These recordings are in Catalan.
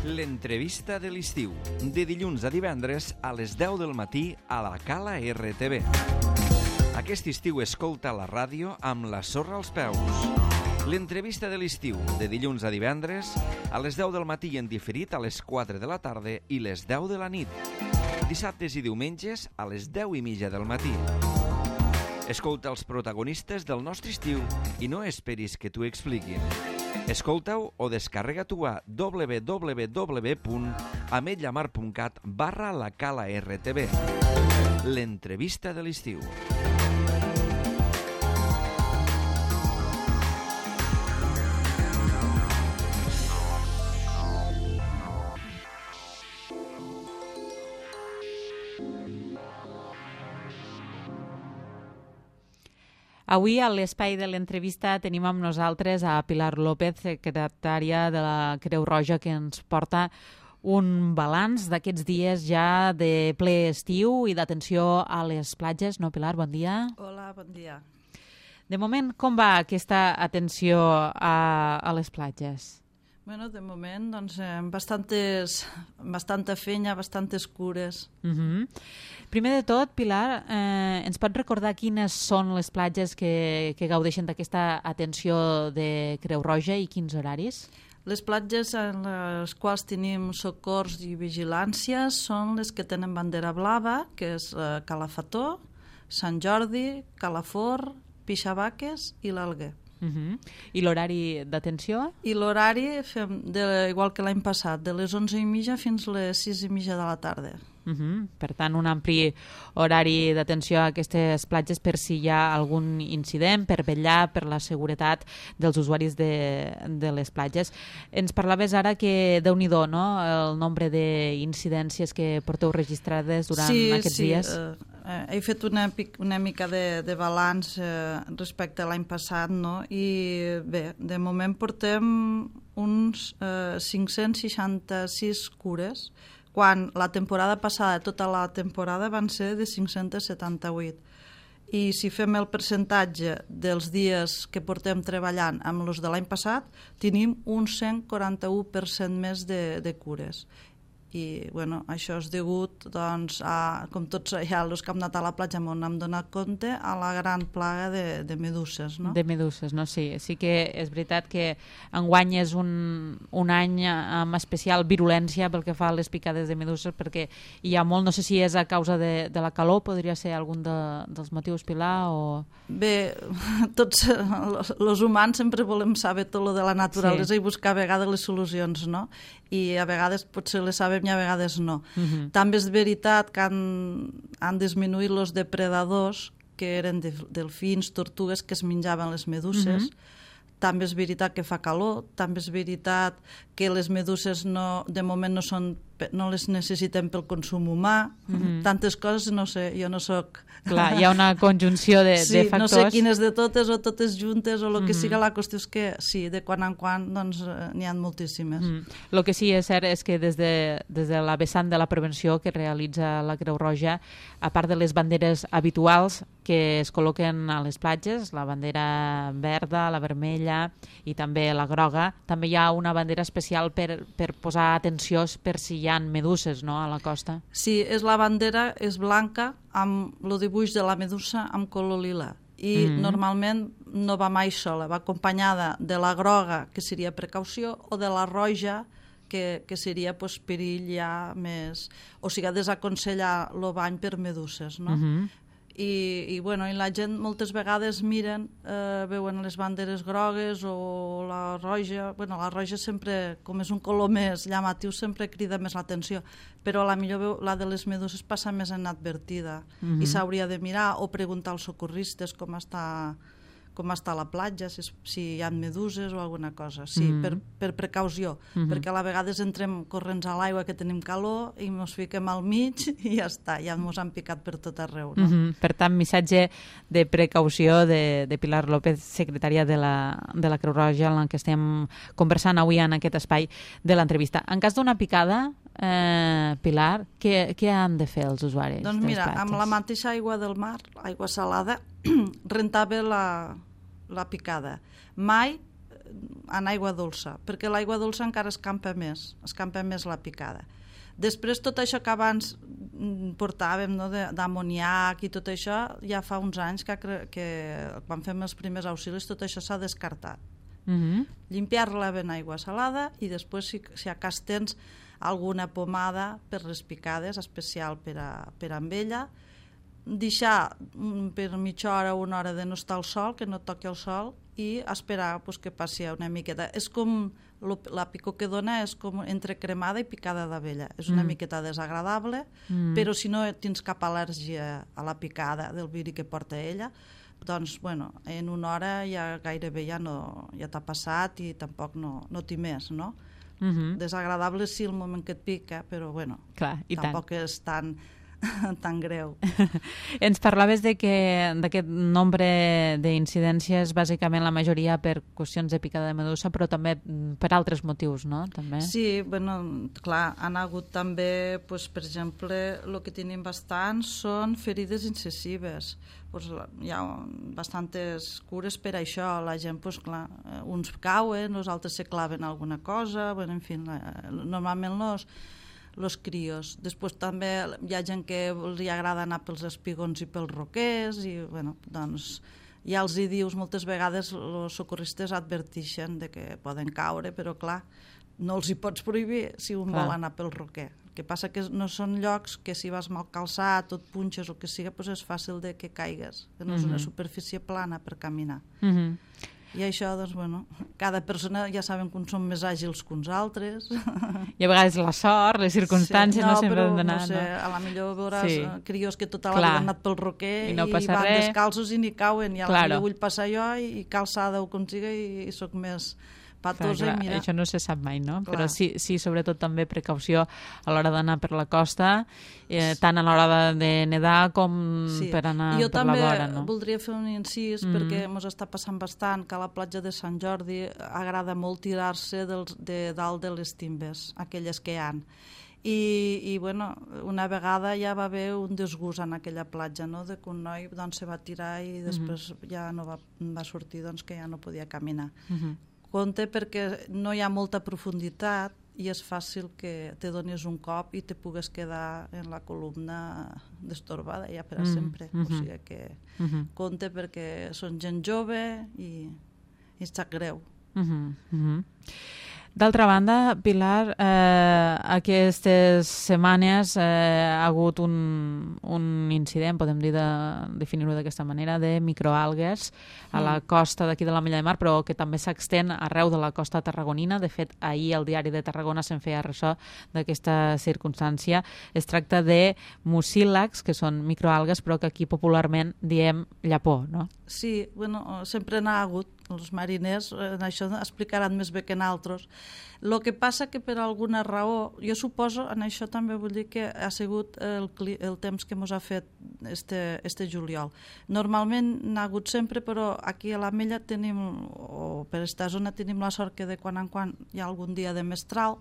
L'entrevista de l'estiu, de dilluns a divendres a les 10 del matí a la Cala RTV. Aquest estiu escolta la ràdio amb la sorra als peus. L'entrevista de l'estiu, de dilluns a divendres a les 10 del matí i en diferit a les 4 de la tarda i les 10 de la nit. Dissabtes i diumenges a les 10:30 del matí. Escolta els protagonistes del nostre estiu i no esperis que t'ho expliquin. Escolta-ho o descarrega-t'ho a www.ametlamar.cat/la Cala RTV. L'entrevista de l'estiu. Avui, a l'espai de l'entrevista, tenim amb nosaltres a Pilar López, secretària de la Creu Roja, que ens porta un balanç d'aquests dies ja de ple estiu i d'atenció a les platges. No, Pilar, bon dia. Hola, bon dia. De moment, com va aquesta atenció a les platges? Bueno, de moment, doncs, bastanta feina, bastantes cures. Primer de tot, Pilar, ens pot recordar quines són les platges que gaudeixen d'aquesta atenció de Creu Roja i quins horaris? Les platges en les quals tenim socors i vigilància són les que tenen bandera blava, que és Calafató, Sant Jordi, Calafort, Pixabaques i l'Alguer. I l'horari d'atenció? I l'horari fem, igual que l'any passat, de les 11:30 fins les 6:30 de la tarda. Per tant, un ampli horari d'atenció a aquestes platges per si hi ha algun incident, per vetllar per la seguretat dels usuaris de les platges. Ens parlaves ara que, Déu-n'hi-do, no?, el nombre d'incidències que porteu registrades durant aquests dies. He fet una mica de balanç respecte a l'any passat, no? I bé, de moment portem uns 566 cures, quan la temporada passada, tota la temporada, van ser de 578. I si fem el percentatge dels dies que portem treballant amb els de l'any passat, tenim un 141% més de cures. I bueno, això és degut, doncs, com tots ja els que hem anat a la platja on hem donat compte, a la gran plaga de meduses, no? De meduses, no? Sí que és veritat que enguany és un any amb especial virulència pel que fa a les picades de meduses, perquè hi ha molt, no sé si és a causa de la calor, podria ser algun dels motius, Pilar, o... Bé, tots els humans sempre volem saber tot lo de la naturalesa i buscar a vegades les solucions, no? I a vegades potser les sabem i a vegades no. També és veritat que han disminuït els depredadors, que eren delfins, tortugues, que es menjaven les meduses. També és veritat que fa calor, també és veritat que les meduses de moment no les necessitem pel consum humà. Tantes coses, no sé, jo no soc... Clar, hi ha una conjunció de factors. No sé quines de totes o totes juntes o el que siga, la qüestió és que sí, de quan en quan doncs, n'hi ha moltíssimes. El que sí és cert és que des de la vessant de la prevenció que realitza la Creu Roja, a part de les banderes habituals que es col·loquen a les platges, la bandera verda, la vermella i també la groga, també hi ha una bandera especial per posar atenció per si hi ha meduses, no?, a la costa. Sí, la bandera és blanca amb el dibuix de la medusa amb color lila i normalment no va mai sola, va acompanyada de la groga, que seria precaució, o de la roja, que seria perill ja més... O sigui, desaconsellar el bany per meduses, no? I la gent moltes vegades miren, veuen les banderes grogues o la roja. La roja sempre, com és un color més llamatiu, sempre crida més l'atenció, però potser la de les meduses passa més inadvertida i s'hauria de mirar o preguntar als socorristes com està la platja, si hi ha meduses o alguna cosa. Sí, per precaució, perquè a la vegades entrem corrents a l'aigua que tenim calor i ens fiquem al mig i ja està, ja ens han picat per tot arreu. No? Per tant, missatge de precaució de Pilar López, secretària de la Creu Roja, en què estem conversant avui en aquest espai de l'entrevista. En cas d'una picada, Pilar, què han de fer els usuaris? Doncs mira, amb la mateixa aigua del mar, aigua salada, rentar bé la picada. Mai en aigua dolça, perquè l'aigua dolça encara escampa més la picada. Després, tot això que abans portàvem, no, d'amoniac i tot això, ja fa uns anys que quan fem els primers auxilis tot això s'ha descartat. Limpiar-la ben aigua salada i després, si a cas tens alguna pomada per les picades especial per amb ella, deixar per mitja hora o una hora de no estar al sol, que no toqui el sol, i esperar que passi una miqueta. És com la picor que dona és com entre cremada i picada d'abella. És una miqueta desagradable, però si no tens cap al·lèrgia a la picada del viri que porta ella, doncs, bueno, en una hora ja gairebé ja t'ha passat i tampoc no t'hi més, no? Desagradable sí el moment que et pica, però bueno, tampoc és tan greu. Ens parlaves d'aquest nombre d'incidències, bàsicament la majoria per qüestions de picada de medusa, però també per altres motius, no? També. Sí, bueno, clar, han hagut també, per exemple, el que tenim bastant són ferides incisives. Hi ha bastantes cures per això. La gent, clar, uns cauen, els altres se claven alguna cosa, bueno, en fi, normalment los crios. Després també hi ha gent que els agrada anar pels espigons i pels roquers i, bueno, doncs ja els hi dius moltes vegades, els socorristes adverteixen de que poden caure, però clar, no els hi pots prohibir si un vol anar pel roquer. El que passa que no són llocs que si vas mal calçat o et punxes o que siga, doncs és fàcil de que caigues, que no és una superfície plana per caminar. I això, doncs, bueno, cada persona ja saben que uns són més àgils que uns altres. I a vegades la sort, les circumstàncies no sempre han d'anar. No sé, a la millor veuràs crios que tota la vida han anat pel roquer i van descalços i ni cauen. I a la millor vull passar jo i calçada ho consiga i soc més patosa. Això no se sap mai, no? Però sí, sobretot també precaució a l'hora d'anar per la costa, tant a l'hora de nedar com per anar per la vora. Jo també voldria fer un incís, perquè ens està passant bastant que a la platja de Sant Jordi agrada molt tirar-se de dalt de les timbes, aquelles que hi ha. I bueno, una vegada ja va haver un desgust en aquella platja, no? De que un noi se va tirar i després ja no va sortir, que ja no podia caminar. Compte perquè no hi ha molta profunditat i és fàcil que te donis un cop i te pugues quedar en la columna destorbada ja per a sempre. O sigui que compte perquè són gent jove i és greu. D'altra banda, Pilar, aquestes setmanes ha hagut un incident, podem definir-ho d'aquesta manera, de microalgues a la costa d'aquí de la Mella de Mar, però que també s'extén arreu de la costa tarragonina. De fet, ahir al diari de Tarragona se'n feia ressò d'aquesta circumstància. Es tracta de mucílags, que són microalgues, però que aquí popularment diem llapó, no? Sí, bueno, sempre n'ha hagut. Els mariners en això explicaran més bé que en altres. El que passa que per alguna raó, jo suposo, en això també vull dir que ha sigut el temps que ens ha fet este juliol. Normalment n'ha hagut sempre, però aquí a la Mella tenim, o per esta zona tenim la sort que de quan en quan hi ha algun dia de mestral,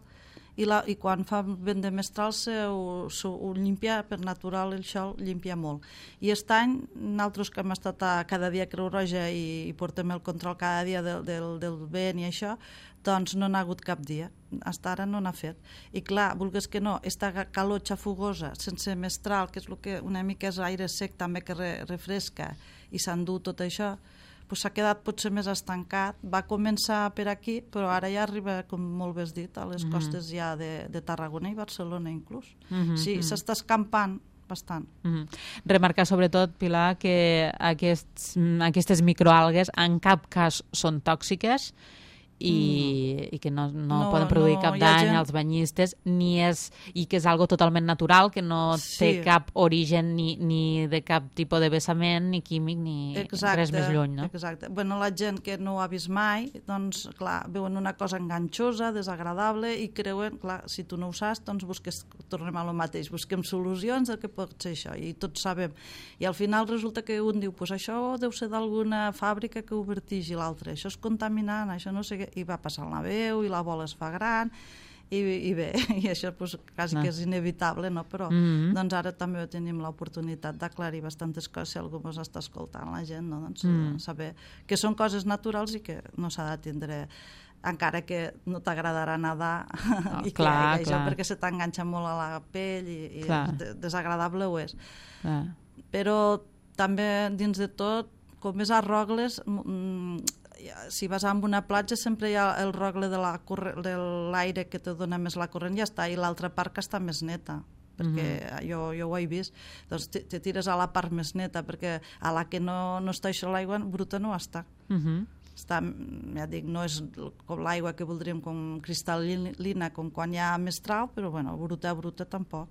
i quan fa vent de mestral ho llimpia, per natural això llimpia molt. I aquest any, nosaltres que hem estat cada dia a Creu Roja i portem el control cada dia del vent i això, doncs no n'ha hagut cap dia. Fins ara no n'ha fet. I clar, vulguis que no, aquesta calor xafugosa, sense mestral, que és el que una mica és aire sec també que refresca i s'endú tot això, s'ha quedat potser més estancat. Va començar per aquí, però ara ja arriba, com molt bé has dit, a les costes ja de Tarragona i Barcelona inclús. Sí, s'està escampant bastant. Remarcar sobretot, Pilar, que aquestes microalgues en cap cas són tòxiques i que no poden produir cap dany als banyistes, i que és algo totalment natural, que no té cap origen ni de cap tipus de vessament, ni químic, ni res més lluny, no? Exacte. Bueno, la gent que no ho ha vist mai, doncs, clar, veuen una cosa enganxosa, desagradable, i creuen, clar, si tu no ho saps, doncs tornem a lo mateix, busquem solucions del que pot ser això, i tots sabem. I al final resulta que un diu, pues això deu ser d'alguna fàbrica que ho vertigi, l'altre, això és contaminant, això no sé què, i va passar la veu i la bola es fa gran i bé, i això pues, quasi que és inevitable, no? Però doncs ara també tenim l'oportunitat d'aclarir bastantes coses si algú ens està escoltant, la gent, no? Doncs saber que són coses naturals i que no s'ha de tindre, encara que no t'agradarà nedar i que això perquè se t'enganxa molt a la pell i desagradable ho és. Però també dins de tot, com és a Rogles, si vas a una platja sempre hi ha el rogle de l'aire que te dona més la corrent i ja està, i l'altra part que està més neta, perquè jo ho he vist, doncs te tires a la part més neta, perquè a la que no està això l'aigua bruta no està. Està, ja dic, no és com l'aigua que voldríem com cristal·lina, com quan hi ha mestral, però bueno, bruta tampoc.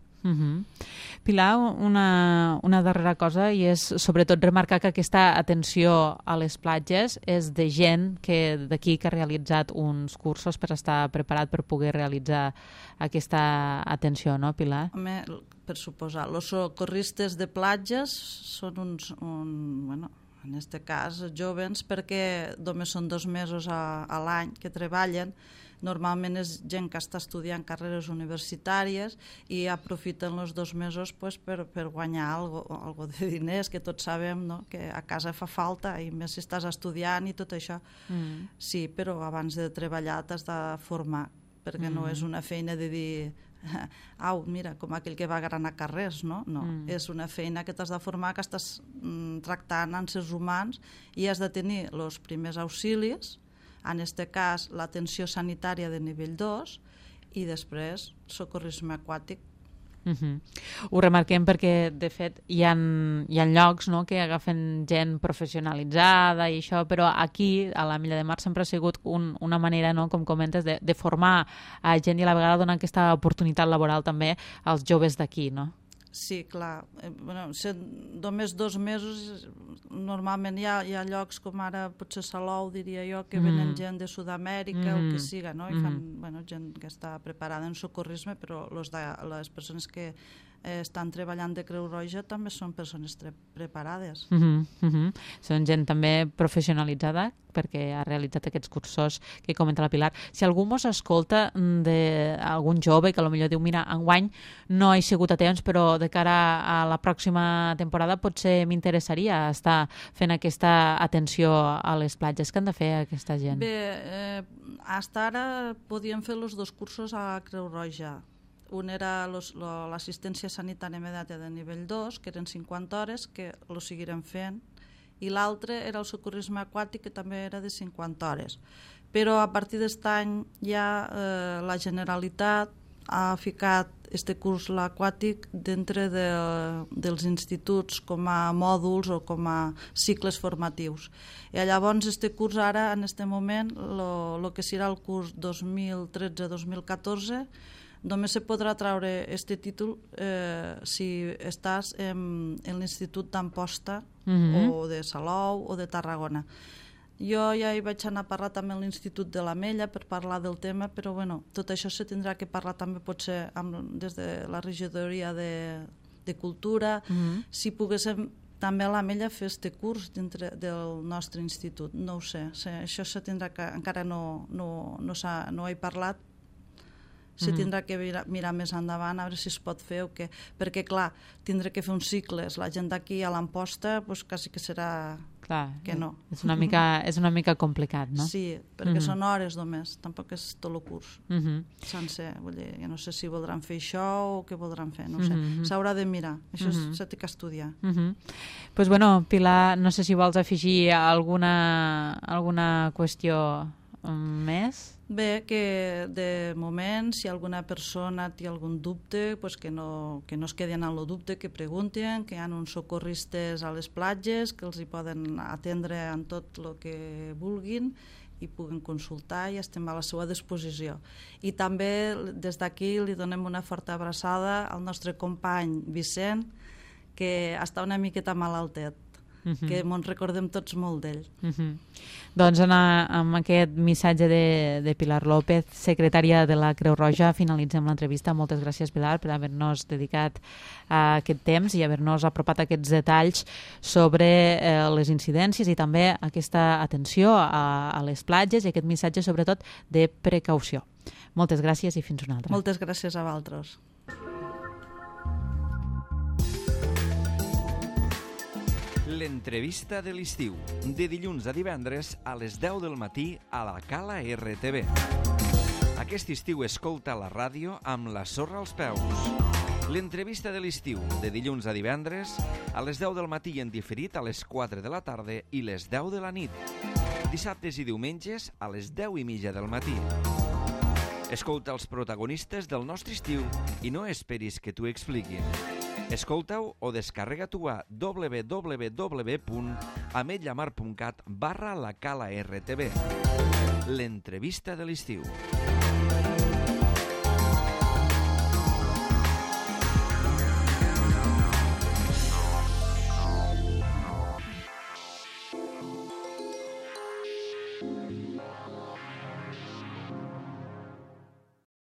Pilar, una darrera cosa, i és sobretot remarcar que aquesta atenció a les platges és de gent d'aquí que ha realitzat uns cursos per estar preparat per poder realitzar aquesta atenció, no, Pilar? Home, per suposar, els socorristes de platges són bueno, en aquest cas jovens, perquè només són 2 mesos a l'any que treballen. Normalment és gent que està estudiant carreres universitàries i aprofiten els 2 mesos pues, per guanyar algo de diners, que tots sabem, no? Que a casa fa falta, i més si estàs estudiant i tot això. Sí, però abans de treballar t'has de formar, perquè no és una feina de dir au, mira, com aquell que va granar carrers, no? No, és una feina que t'has de formar, que estàs tractant éssers humans i has de tenir els primers auxilis, en aquest cas l'atenció sanitària de nivell 2 i després socorrisme aquàtic. Ho remarquem perquè de fet hi ha llocs, no, que agafen gent professionalitzada i això, però aquí a la Milla de Mar sempre ha sigut una manera, no, com comentes, de formar a gent i a la vegada donar aquesta oportunitat laboral també als joves d'aquí, no? Sí, clar. Bueno, només 2 mesos, normalment hi ha llocs com ara potser Salou, diria jo, que venen gent de Sud-amèrica o que siga, no? I fan gent que està preparada en socorrisme, però les persones que estan treballant de Creu Roja també són persones preparades. Són gent també professionalitzada perquè ha realitzat aquests cursos que comenta la Pilar. Si algú mos escolta d'algun jove que potser diu, mira, enguany no he sigut a temps, però de cara a la pròxima temporada potser m'interessaria estar fent aquesta atenció a les platges. Què han de fer aquesta gent? Bé, fins ara podíem fer els 2 cursos a Creu Roja. Un era l'assistència sanitària immediata de nivell 2, que eren 50 hores, que ho seguirem fent, i l'altre era el socorrisme aquàtic, que també era de 50 hores. Però a partir d'aquest any ja la Generalitat ha ficat este curs aquàtic dintre dels instituts com a mòduls o com a cicles formatius. I llavors este curs ara, en aquest moment, el que serà el curs 2013-2014, només se podrà treure este títol si estàs en l'Institut d'Amposta o de Salou o de Tarragona. Jo ja hi vaig anar a parlar també a l'Institut de l'Ametlla per parlar del tema, però bueno, tot això se tindrà que parlar també potser des de la regidoria de Cultura, si poguéssim també a l'Ametlla fer este curs dintre del nostre institut. No ho sé, això se tindrà que, encara no he parlat, se tindrà que mirar més endavant a veure si es pot fer o què, perquè clar, tindré que fer uns cicles, la gent d'aquí a l'Amposta pues, quasi que serà que no. És una mica complicat, no? Sí, perquè són hores només, tampoc és tot el curs sencer, vull dir, jo no sé si voldran fer això o què voldran fer, no sé, s'haurà de mirar, això s'ha de estudiar. Pues bueno, Pilar, no sé si vols afegir alguna qüestió més? Bé, que de moment, si alguna persona té algun dubte, pues que no es quedin en el dubte, que preguntin, que hi ha uns socorristes a les platges, que els hi poden atendre en tot el que vulguin i puguen consultar i estem a la seva disposició. I també des d'aquí li donem una forta abraçada al nostre company Vicent, que està una miqueta malaltet, que ens recordem tots molt d'ell. Doncs amb aquest missatge de Pilar López, secretària de la Creu Roja, finalitzem l'entrevista. Moltes gràcies, Pilar, per haver-nos dedicat a aquest temps i haver-nos apropat aquests detalls sobre les incidències i també aquesta atenció a les platges i aquest missatge, sobretot, de precaució. Moltes gràcies i fins una altra. Moltes gràcies a vosaltres. L'entrevista de l'estiu, de dilluns a divendres a les 10 del matí a la Cala RTV. Aquest estiu escolta la ràdio amb la sorra als peus. L'entrevista de l'estiu, de dilluns a divendres a les 10 del matí en diferit a les 4 de la tarda i les 10 de la nit. Dissabtes i diumenges a les 10:30 del matí. Escolta els protagonistes del nostre estiu i no esperis que t'ho expliquin. Escolta-ho o descarrega-t'ho a www.ametlllamar.cat/la Cala RTV. L'entrevista de l'estiu.